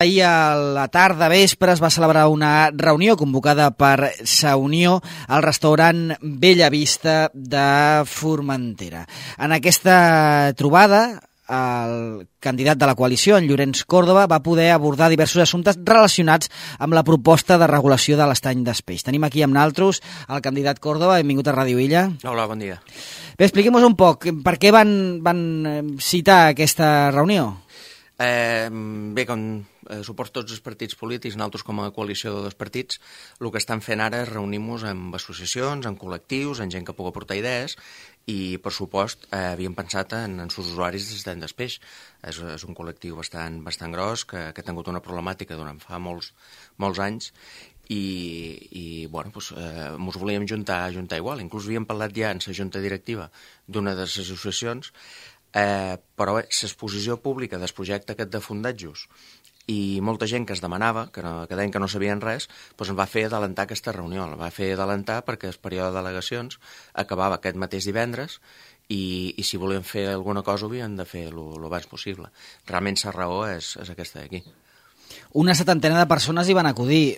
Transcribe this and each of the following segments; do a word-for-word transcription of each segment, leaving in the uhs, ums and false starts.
Ahir a la tarda vespre es va celebrar una reunió convocada per Sa Unió al restaurant Bella Vista de Formentera. En aquesta trobada, el candidat de la coalició, en Llorenç Córdoba, va poder abordar diversos assumptes relacionats amb la proposta de regulació de l'estany d'Espeix. Tenim aquí amb naltros el candidat Córdoba. Benvingut a Ràdio Illa. Hola, bon dia. Bé, expliquem-nos un poc per què van, van citar aquesta reunió. Eh, bé, com eh, suposo tots els partits polítics, nosaltres com a coalició de dos partits, el que estan fent ara és reunir-nos amb associacions, en col·lectius, en gent que pugui aportar idees i, per supost, eh, havíem pensat en, en els usuaris d'estany d'Espeix. És, és un col·lectiu bastant, bastant gros que, que ha tingut una problemàtica durant fa molts, molts anys i, i bueno, doncs, eh, ens volíem juntar, juntar igual. Inclús havíem parlat ja en la junta directiva d'una de les associacions. Eh, però bé, l'exposició pública del projecte aquest de fondatjos i molta gent que es demanava, que, no, que deien que no sabien res, doncs ens va fer adelantar aquesta reunió, la va fer adelantar perquè el període de delegacions acabava aquest mateix divendres i, i si volien fer alguna cosa ho havien de fer el abans possible. Realment la raó és, és aquesta d'aquí. Una setantena de persones hi van acudir.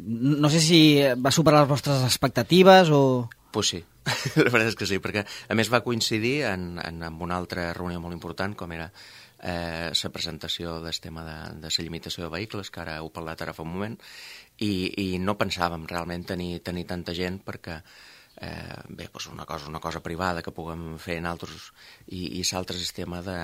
No sé si va superar les vostres expectatives o... Pues sí, la veritat és que sí, perquè a més va coincidir en, en, en una altra reunió molt important, com era eh, la presentació del tema de, de la limitació de vehicles, que ara heu parlat ara fa un moment, i, i no pensàvem realment tenir, tenir tanta gent perquè eh, bé, doncs una cosa, una cosa privada que puguem fer en altres, i, i l'altre és el tema de,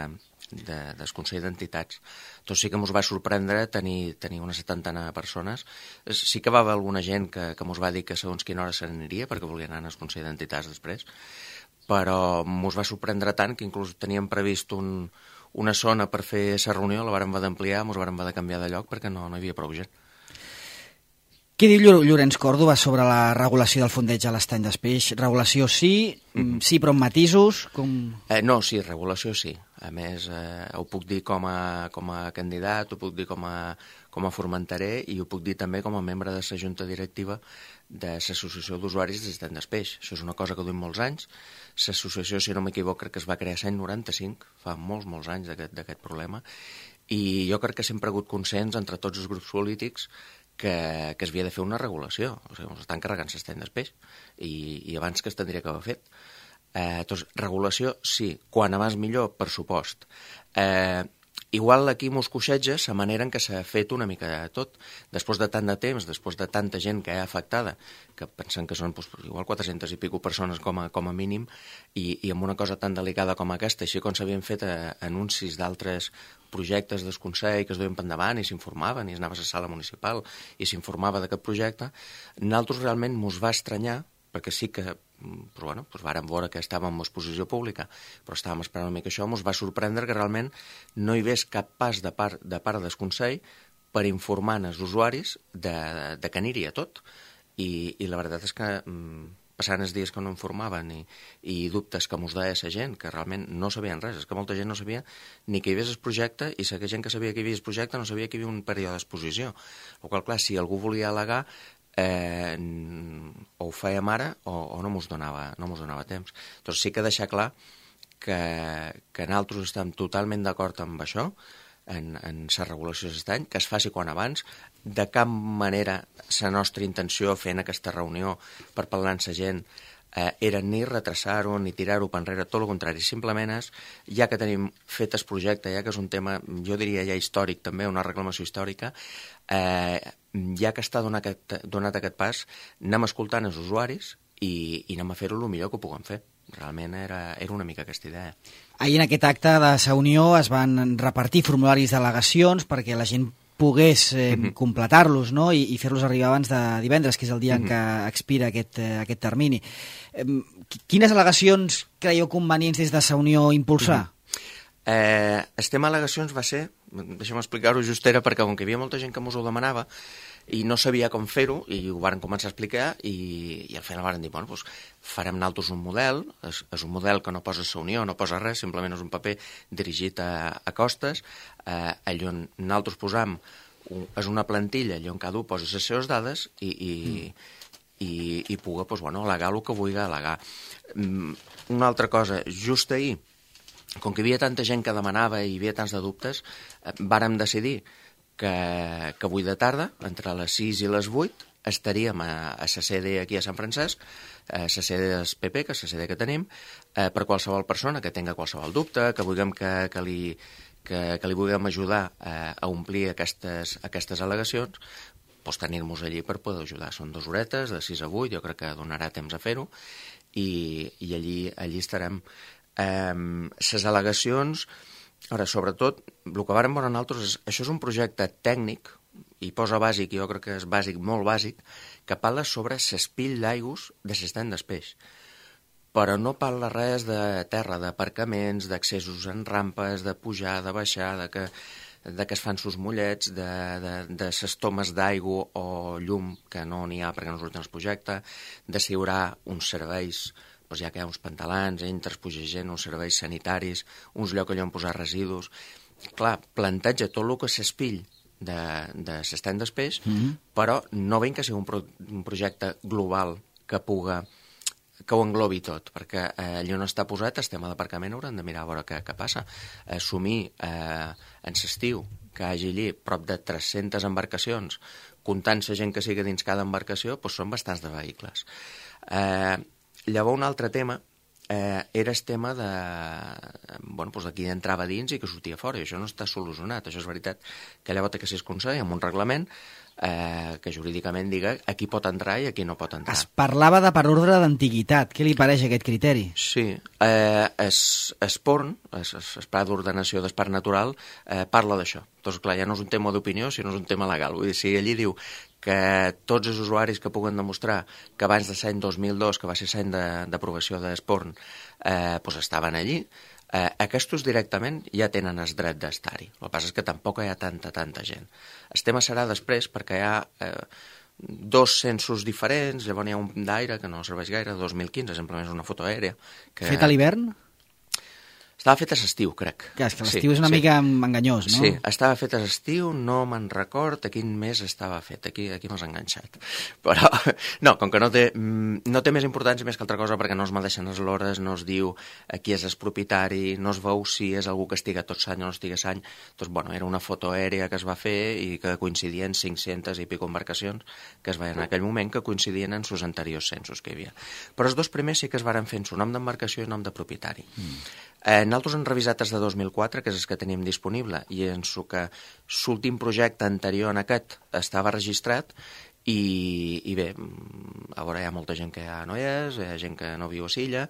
de, del Consell d'Entitats. Doncs sí que ens va sorprendre tenir, tenir una setantena de persones. Sí que va haver alguna gent que, que ens va dir que segons quina hora se n'aniria perquè volien anar al Consell d'Entitats després, però ens va sorprendre tant que inclús teníem previst un, una zona per fer la reunió, la vàrem haver d'ampliar, ens vàrem haver de canviar de lloc perquè no, no hi havia prou gent. Què diu Llorenç Córdoba sobre la regulació del fondeig a l'estany d'Espeix? Regulació sí, mm-hmm. sí però amb matisos? Com... Eh, no, sí, regulació sí. A més, eh, ho puc dir com a, com a candidat, ho puc dir com a, com a formenterer i ho puc dir també com a membre de la junta directiva de l'Associació d'Usuaris de l'Estany d'Espeix. Això és una cosa que duim molts anys. L'associació, si no m'equivoc, crec que es va crear l'any noranta-cinc, fa molts, molts anys d'aquest problema, i jo crec que sempre ha hagut consens entre tots els grups polítics que, que es havia de fer una regulació. O sigui, ens estan carregant l'estany d'Espeix i, i abans que es tindria que haver fet. Eh, doncs, regulació, sí. Quan abans millor, per supost. Eh, igual aquí mos coixeja la manera en què s'ha fet una mica de tot. Després de tant de temps, després de tanta gent que hi ha afectada, que pensem que són doncs, igual quatre-centes i pico persones com a, com a mínim, i, i amb una cosa tan delicada com aquesta, així com s'havien fet eh, anuncis d'altres projectes del Consell que es duien per endavant i s'informaven i es anava a la sala municipal i s'informava d'aquest projecte, nosaltres realment mos va estranyar, perquè sí que però bueno, doncs vàrem veure que estàvem en exposició pública, però estàvem esperant una mica això, ens va sorprendre que realment no hi hagués cap pas de part, de part del Consell per informar els usuaris de, de que aniria tot. I, i la veritat és que mm, passant els dies que no informaven i, i dubtes que mos deia la gent, que realment no sabien res, és que molta gent no sabia ni que hi hagués el projecte i la gent que sabia que hi havia el projecte no sabia que hi havia un període d'exposició. El qual, clar, si algú volia al·legar, Eh, o ho fèiem ara o, o no mos donava, no mos donava temps. Doncs sí que deixar clar que, que nosaltres estem totalment d'acord amb això, en, en la regulació d'estany, que es faci quan abans. De cap manera la nostra intenció fent aquesta reunió per parlar amb la gent eh, era ni retrasar-ho ni tirar-ho per enrere, tot el contrari, simplement és, ja que tenim fet el projecte, ja que és un tema, jo diria ja històric també, una reclamació històrica, eh, ja que està donat aquest, donat aquest pas, anem escoltant els usuaris i, i anem a fer-ho el millor que ho puguem fer. Realment era, era una mica aquesta idea. Ahir en aquest acte de Sa Unió es van repartir formularis d'al·legacions perquè la gent pogués eh, mm-hmm. completar-los, no? I, i fer-los arribar abans de divendres, que és el dia mm-hmm. en què expira aquest, eh, aquest termini. Eh, quines al·legacions creieu convenients des de Sa Unió impulsar? Mm-hmm. Eh, el tema al·legacions va ser, deixa'm explicar-ho just era perquè com que hi havia molta gent que mos ho demanava i no sabia com fer-ho i ho varen començar a explicar i, i al final varen dir, bueno, doncs farem nosaltres un model, és, és un model que no posa Sa Unió, no posa res, simplement és un paper dirigit a, a costes, eh, allà on nosaltres posam, un, és una plantilla allà on cada un posa les seves dades i, i, mm. i, i pugui, doncs, bueno, al·legar el que vulgui al·legar. Mm, una altra cosa, just ahir com que hi havia tanta gent que demanava i hi havia tants de dubtes, eh, vàrem decidir que, que avui de tarda, entre les sis i les vuit, estaríem a, a la sede aquí a Sant Francesc, a la sede del P P, que és la sede que tenim, eh, per qualsevol persona que tenga qualsevol dubte, que vulguem que, que, li, que, que li vulguem ajudar eh, a omplir aquestes, aquestes al·legacions, doncs tenir-nos allí per poder ajudar. Són dues horetes, de sis a vuit, jo crec que donarà temps a fer-ho, i, i allí, allí estarem. Les eh, al·legacions, ara, sobretot, el que vàrem veure nosaltres és, això és un projecte tècnic, i posa bàsic, jo crec que és bàsic, molt bàsic, que parla sobre l'espill d'aigües de l'estany del peix. Però no parla res de terra, d'aparcaments, d'accessos en rampes, de pujar, de baixar, de que, de que es fan sus mollets, de, de, de ses tomes d'aigua o llum, que no n'hi ha perquè no surten el projecte, d'assegurar uns serveis, doncs ja que hi ha uns pantalans, entres, puja gent, uns serveis sanitaris, uns llocs allà on posar residus. Clar, planteja tot el que s'espill de, de l'estany del peix, mm-hmm. però no veiem que sigui un, pro, un projecte global que puga, que ho englobi tot, perquè eh, allà on està posat el tema d'aparcament haurem de mirar a veure què, què passa. Assumir eh, en l'estiu que hi hagi allí prop de tres-centes embarcacions, comptant la gent que sigui dins cada embarcació, doncs són bastants de vehicles. Eh, llavors un altre tema Eh, era el tema de, bueno, doncs de qui entrava dins i que sortia fora, i això no està solucionat. Això és veritat que llavors té que ser el Consell amb un reglament eh, que jurídicament diga a qui pot entrar i a qui no pot entrar. Es parlava de per ordre d'antiguitat. Què li pareix aquest criteri? Sí, eh, es, es porn, es, es, es pla d'ordenació del parc natural, eh, parla d'això. Doncs clar, ja no és un tema d'opinió, sinó és un tema legal. Vull dir, si allí diu que tots els usuaris que puguen demostrar que abans de l'any dos mil dos, que va ser l'any d'aprovació de d'Esporn, eh, doncs estaven allí, eh, aquests directament ja tenen el dret d'estar-hi. El que passa és que tampoc hi ha tanta, tanta gent. El tema serà després, perquè hi ha eh, dos censos diferents, llavors hi ha un d'aire que no serveix gaire, dos mil quinze, simplement és una foto aèrea. Que... Fet a l'hivern? Estava fet a l'estiu, crec. Clar, és que l'estiu sí, és una sí. mica enganyós, no? Sí, estava fet a l'estiu, no me'n record a quin mes estava fet. Aquí, aquí m'has enganxat. Però, no, com que no té, no té més importància més que altra cosa, perquè no es medeixen les hores, no es diu qui és el propietari, no es veu si és algú que estiga tot l'any o no estiga l'any. Doncs, bueno, era una foto aèrea que es va fer i que coincidien cinc-centes i pico embarcacions que es veien en aquell moment, que coincidien en sus anteriors censos que hi havia. Però els dos primers sí que es varen fer en su nom d'embarcació i nom de propietari. Mm. Eh, nosaltres hem revisat els de dos mil quatre, que és el que tenim disponible, i en el que l'últim projecte anterior en aquest estava registrat, i, i bé, a veure, hi ha molta gent que ja no hi és, hi ha gent que no viu a Silla,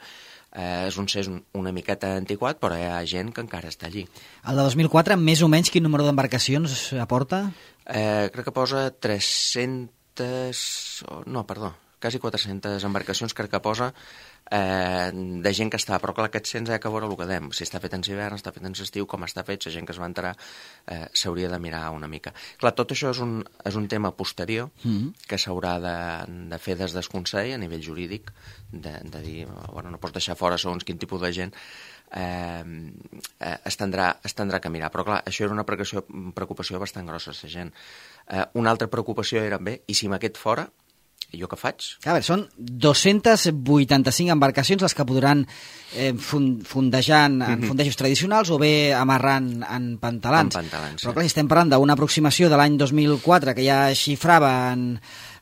eh, és un cés una miqueta antiquat, però hi ha gent que encara està allí. El de dos mil quatre, més o menys, quin número d'embarcacions aporta? Eh, crec que posa tres-centes... No, perdó, quasi quatre-centes embarcacions, crec que posa, Eh, de gent que està, però clar, aquest cens ha que veure el que dèiem, si està fet en hivern, està fet en estiu, com està fet, la gent que es va entrar eh, s'hauria de mirar una mica. Clar, tot això és un, és un tema posterior mm. que s'haurà de, de fer des del Consell a nivell jurídic, de, de dir, bueno, no pots deixar fora segons quin tipus de gent, eh, eh, es, tindrà, es tindrà que mirar. Però clar, això era una preocupació, preocupació bastant grossa, la gent. Eh, una altra preocupació era, bé, i si m'aquest fora, i jo què faig? A veure, són dos-centes vuitanta-cinc embarcacions les que podran eh, fondejar en, en fondejos tradicionals o bé amarrant en pantalans. En pantalans, sí. Però clar, si estem parlant d'una aproximació de l'any dos mil quatre que ja xifrava en,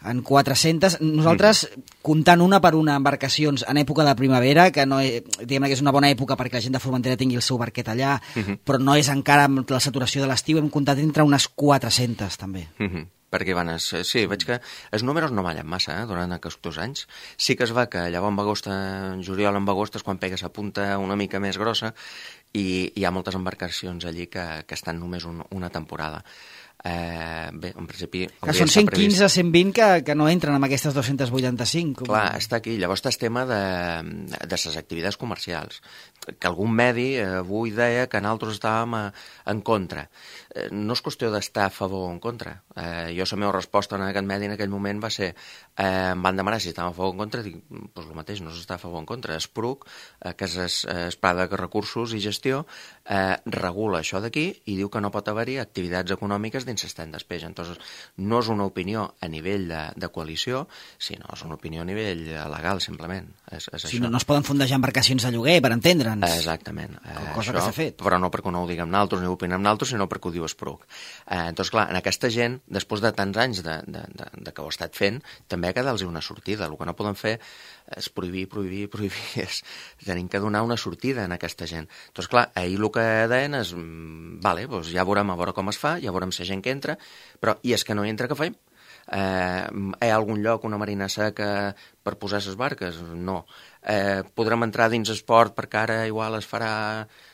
en quatre-centes, nosaltres, mm. comptant una per una embarcacions en època de primavera, que no és, diguem que és una bona època perquè la gent de Formentera tingui el seu barquet allà, mm-hmm. però no és encara amb la saturació de l'estiu, hem comptat entre unes quatre-centes també. Mm-hmm. Perquè van... Es, sí, veig que els números no ballen massa, eh, durant aquests anys. Sí que es va que llavors en agost, en juliol en agost és quan pegues a punta una mica més grossa i hi ha moltes embarcacions allí que, que estan només un, una temporada. Eh, bé, en principi... Que són cent quinze a cent vint que, que no entren amb aquestes dos-centes vuitanta-cinc. Com... Clar, està aquí. Llavors està el tema de, de les activitats comercials. Que algun medi eh, avui deia que nosaltres estàvem a, en contra. Eh, no és qüestió d'estar a favor o en contra. Eh, jo la meva resposta en aquest medi en aquell moment va ser eh, em van demanar si estàvem a favor o en contra, dic, doncs el mateix, no s'està a favor o en contra. Es P R U C, eh, que és el Pla de Recursos i Gestió gestió, eh, regula això d'aquí i diu que no pot haver-hi activitats econòmiques dins l'estany d'espeix. Entonces, no és una opinió a nivell de, de coalició, sinó és una opinió a nivell legal, simplement. És, és si això. no, no es poden fondejar embarcacions de lloguer, per entendre'ns. Exactament. Eh, cosa això, que s'ha fet. Però no perquè no ho diguem naltros ni ho opinem naltros, sinó perquè ho diu Espruc. Eh, entonces, clar, en aquesta gent, després de tants anys de, de, de, de que ho ha estat fent, també ha quedat-los una sortida. El que no poden fer és prohibir, prohibir, prohibir. És, tenim que donar una sortida a aquesta gent. Doncs clar, ahir el que deien és, vale, doncs ja veurem a veure com es fa, ja veurem si hi ha gent que entra, però i és que no hi entra, què fem? Eh, hi ha algun lloc, una marina seca per posar les barques? No. Eh, podrem entrar dins esport perquè ara igual es farà,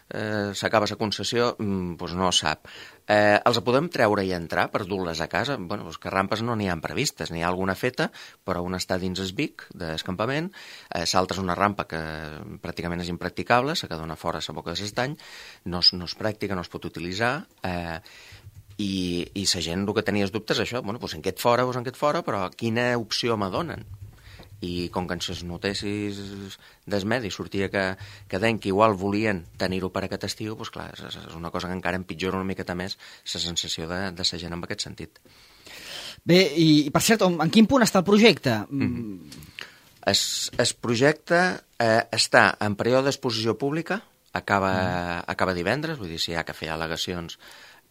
eh, s'acaba la concessió? Mm, doncs no sap. Eh, els podem treure i entrar per dur-les a casa? Bueno, doncs que rampes no n'hi ha previstes, n'hi ha alguna feta, però una està dins el Vic d'escampament, eh, l'altra és una rampa que pràcticament és impracticable, la que dona fora la boca de l'estany, no, és, no és pràctica, no es pot utilitzar, eh, i, i la gent el que tenia els dubtes és això, bueno, doncs en quedat fora, doncs en quedat fora, però quina opció me donen? I com que en les notícies dels medis sortia que, que deien que igual volien tenir-ho per aquest estiu, doncs clar, és, és una cosa que encara empitjora una miqueta més la sensació de, de la gent en aquest sentit. Bé, i per cert, en quin punt està el projecte? Mm. El, el projecte eh, està en període d'exposició pública, acaba, mm. acaba divendres, vull dir, si hi ha que fer al·legacions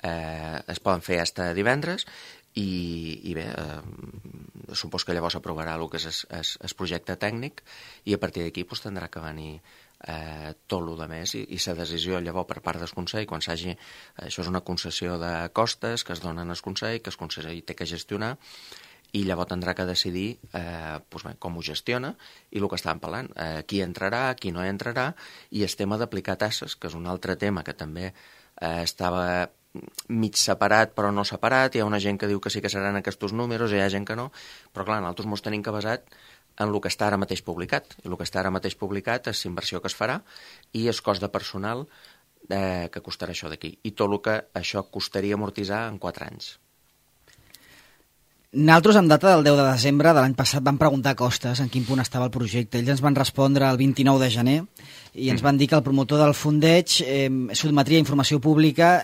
eh, es poden fer fins divendres, i, i bé, eh, supos que llavors s'aprovarà el que és el projecte tècnic i a partir d'aquí pues, tindrà que venir eh, tot el de més i, i la decisió llavors per part del Consell, quan s'hagi, això és una concessió de costes que es donen al Consell, que el Consell té que gestionar i llavors tindrà que decidir eh, pues bé, com ho gestiona i el que estàvem parlant, eh, qui entrarà, qui no entrarà i el tema d'aplicar tasses, que és un altre tema que també eh, estava mig separat però no separat, hi ha una gent que diu que sí que seran aquests números, hi ha gent que no, però clar, nosaltres ens tenim que basar en el que està ara mateix publicat, i el que està ara mateix publicat és l'inversió que es farà i el cost de personal eh, que costarà això d'aquí, i tot el que això costaria amortitzar en quatre anys. Nosaltres, en data del deu de desembre de l'any passat, vam preguntar a Costes en quin punt estava el projecte. Ells ens van respondre el vint-i-nou de gener i ens van dir que el promotor del fondeig eh, sotmetria informació pública,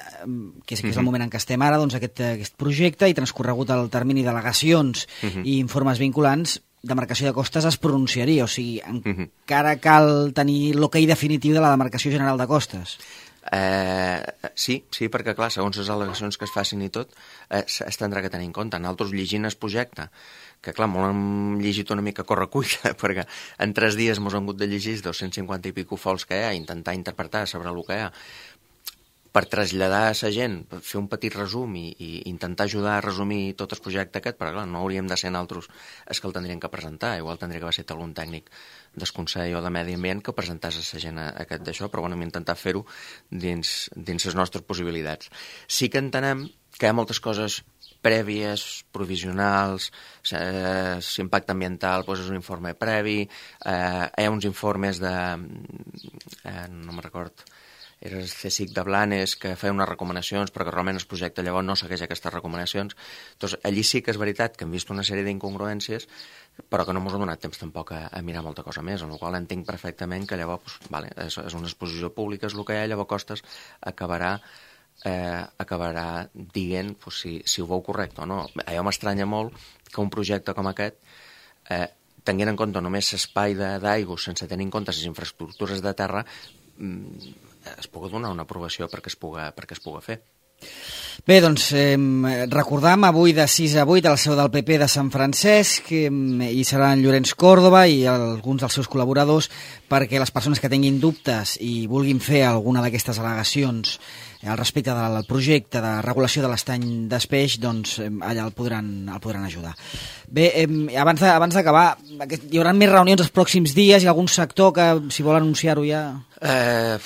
que és, que és el moment en què estem ara, doncs, aquest, aquest projecte, i transcorregut el termini d'al·legacions uh-huh. i informes vinculants, demarcació de costes es pronunciaria. O sigui, encara cal tenir l'ok definitiu de la demarcació general de costes. Eh, sí, sí, perquè clar, segons les al·legacions que es facin i tot, eh, es tindrà que tenir en compte. Nosaltres llegint el projecte, que clar, molt hem llegit una mica correcuita, perquè en tres dies ens hem hagut de llegir dos-cents cinquanta i pico fols que hi ha, intentar interpretar sobre el que hi ha, per traslladar a la gent, fer un petit resum i, i intentar ajudar a resumir tot el projecte aquest, però clar, no hauríem de ser nosaltres els que el tindrien que presentar, igual tindria que haver estat algun tècnic del Consell o de Medi Ambient que presentàs a la gent aquest d'això, però bueno, hem intentat fer-ho dins, dins les nostres possibilitats. Sí que entenem que hi ha moltes coses prèvies, provisionals, eh, l'impacte ambiental doncs és un informe previ, eh, hi ha uns informes de... Eh, no me'n record... era el C S I C de Blanes, que feia unes recomanacions, però que realment el projecte llavors no segueix aquestes recomanacions. Doncs allí sí que és veritat que hem vist una sèrie d'incongruències, però que no ens ha donat temps tampoc a, a mirar molta cosa més, en la qual entenc perfectament que llavors, pues, vale, és, és una exposició pública, és el que hi ha, llavors Costes acabarà, eh, acabarà dient pues, si, si ho veu correcte o no. Allò m'estranya molt que un projecte com aquest, eh, tenint en compte només l'espai d'aigua, sense tenir en compte les infraestructures de terra, es pugui donar una aprovació perquè es pugui, perquè es pugui fer. Bé, doncs, eh, recordam avui de sis a vuit a la seu del P P de Sant Francesc, eh, hi serà en Llorenç Còrdova i alguns dels seus col·laboradors perquè les persones que tinguin dubtes i vulguin fer alguna d'aquestes al·legacions al respecte del projecte de regulació de l'estany d'Espeix, doncs eh, allà el podran, el podran ajudar. Bé, eh, abans, de, abans d'acabar, hi haurà més reunions els pròxims dies? Hi ha algun sector que, si vol anunciar-ho ja... Eh...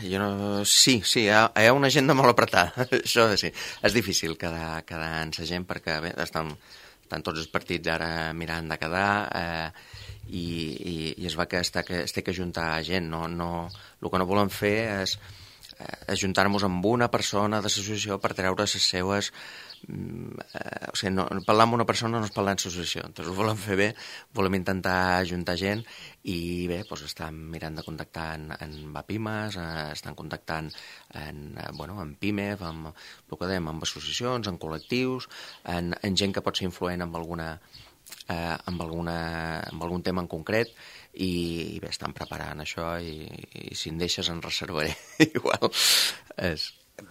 Jo no... Sí, sí, hi ha, hi ha una agenda molt apretada, això sí. És difícil quedar, quedar en la gent perquè bé, estan, estan tots els partits ara mirant de quedar eh, i, i, i es va que es té que, es té que ajuntar gent. No, no, el que no volem fer és ajuntar-nos amb una persona de l'associació per treure les seues... Eh, o sigui, no, parlar amb una persona no és parlar en l'associació, doncs ho volem fer bé, volem intentar ajuntar gent i bé, doncs estan mirant de contactar en, en Vapimes, eh, estan contactant en, eh, bueno, en PIMEF, amb, el que dèiem, amb associacions, en col·lectius, en, en gent que pot ser influent amb alguna... Eh, amb, alguna, amb algun tema en concret i, i bé, estan preparant això i, i si em deixes en reservaré igual és...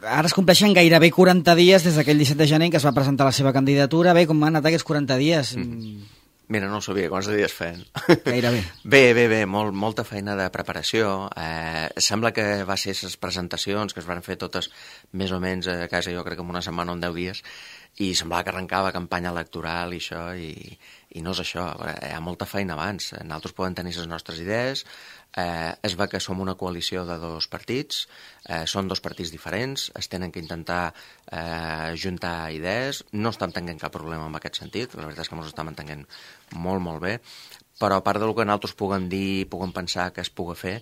Ara es compleixen gairebé quaranta dies des d'aquell disset de gener que es va presentar la seva candidatura. Bé, com han anat aquests quaranta dies? Mm. Mira, no ho sabia, quants dies feien. Gairebé. Bé, bé, bé, molt, molta feina de preparació. Eh, sembla que va ser les presentacions que es van fer totes més o menys a casa, jo crec que en una setmana o en deu dies, i semblava que arrencava campanya electoral i això, i, i no és això, hi ha molta feina abans. Nosaltres podem tenir les nostres idees, eh, es va que som una coalició de dos partits, eh, són dos partits diferents, es tenen que intentar eh, juntar idees, no estem tenint cap problema en aquest sentit, la veritat és que ens estem entenent molt, molt bé, però a part del que nosaltres puguem dir, puguem pensar que es pugui fer,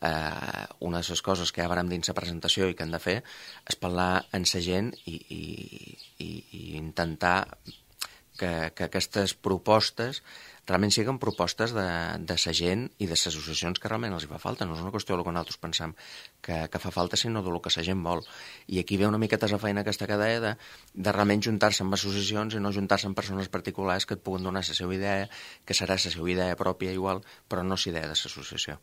eh, una de les coses que ja varem dins la presentació i que hem de fer és parlar amb la gent i, i, i, i intentar que, que aquestes propostes realment siguin propostes de, de la gent i de les associacions que realment els hi fa falta. No és una qüestió del que nosaltres pensem que, que fa falta, sinó del que la gent vol. I aquí ve una miqueta la feina aquesta que deia de, de realment juntar-se amb associacions i no juntar-se amb persones particulars que et puguen donar la seva idea, que serà la seva idea pròpia igual, però no la idea de l'associació.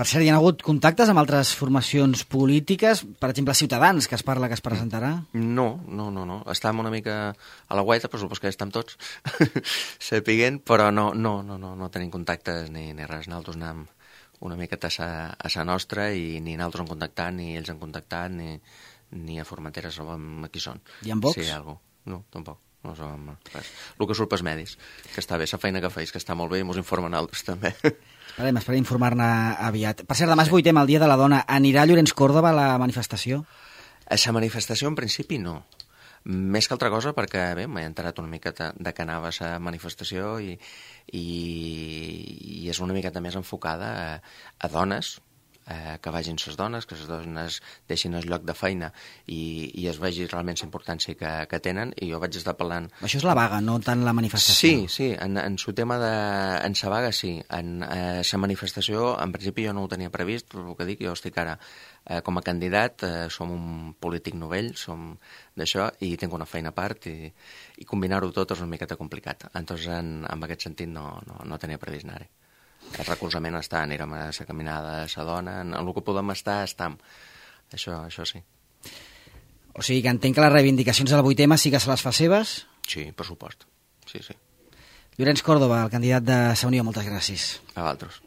Per cert, hi ha hagut contactes amb altres formacions polítiques? Per exemple, Ciutadans, que es parla que es presentarà? No, no, no, no. Estàvem una mica a la guaita, però supos que ja estem tots sapiguent, però no, no, no, no, no tenim contactes ni, ni res. Nosaltres anem una miqueta a sa, a sa nostra i ni nosaltres han contactat, ni ells han contactat, ni, ni a Formentera sabem qui són. I en Vox? Sí, algú. No, tampoc. No sabem res. El que surt pels medis, que està bé, la feina que feis, que està molt bé i mos informen altres també. Esperem, esperem informar-ne aviat. Per cert, demà és vuitè, el Dia de la Dona. Anirà Llorenç Córdoba a la manifestació? A la manifestació, en principi, no. Més que altra cosa, perquè bé, m'he enterat una miqueta de que anava a la manifestació i, i, i és una miqueta més enfocada a, a dones, eh, que vagin les dones, que les dones deixin el lloc de feina i, i es vegi realment la importància que, que tenen, i jo vaig estar parlant... Això és la vaga, no tant la manifestació. Sí, sí, en, en su tema de... en sa vaga, sí. En eh, sa manifestació, en principi jo no ho tenia previst, però el que dic, jo estic ara eh, com a candidat, eh, som un polític novell, som d'això, i tinc una feina a part, i, i combinar-ho tot és una miqueta complicat. Entonces, en, en aquest sentit, no, no, no tenia previst anar-hi. El recolzament està, anirem a la caminada a la dona, en el que podem estar, estam. Això, això sí. O sigui que entenc que les reivindicacions del vuitè sí que se les fa seves? Sí, per supost. Sí, sí. Llorenç Córdoba, el candidat de Sa Unió, moltes gràcies. A vosaltres.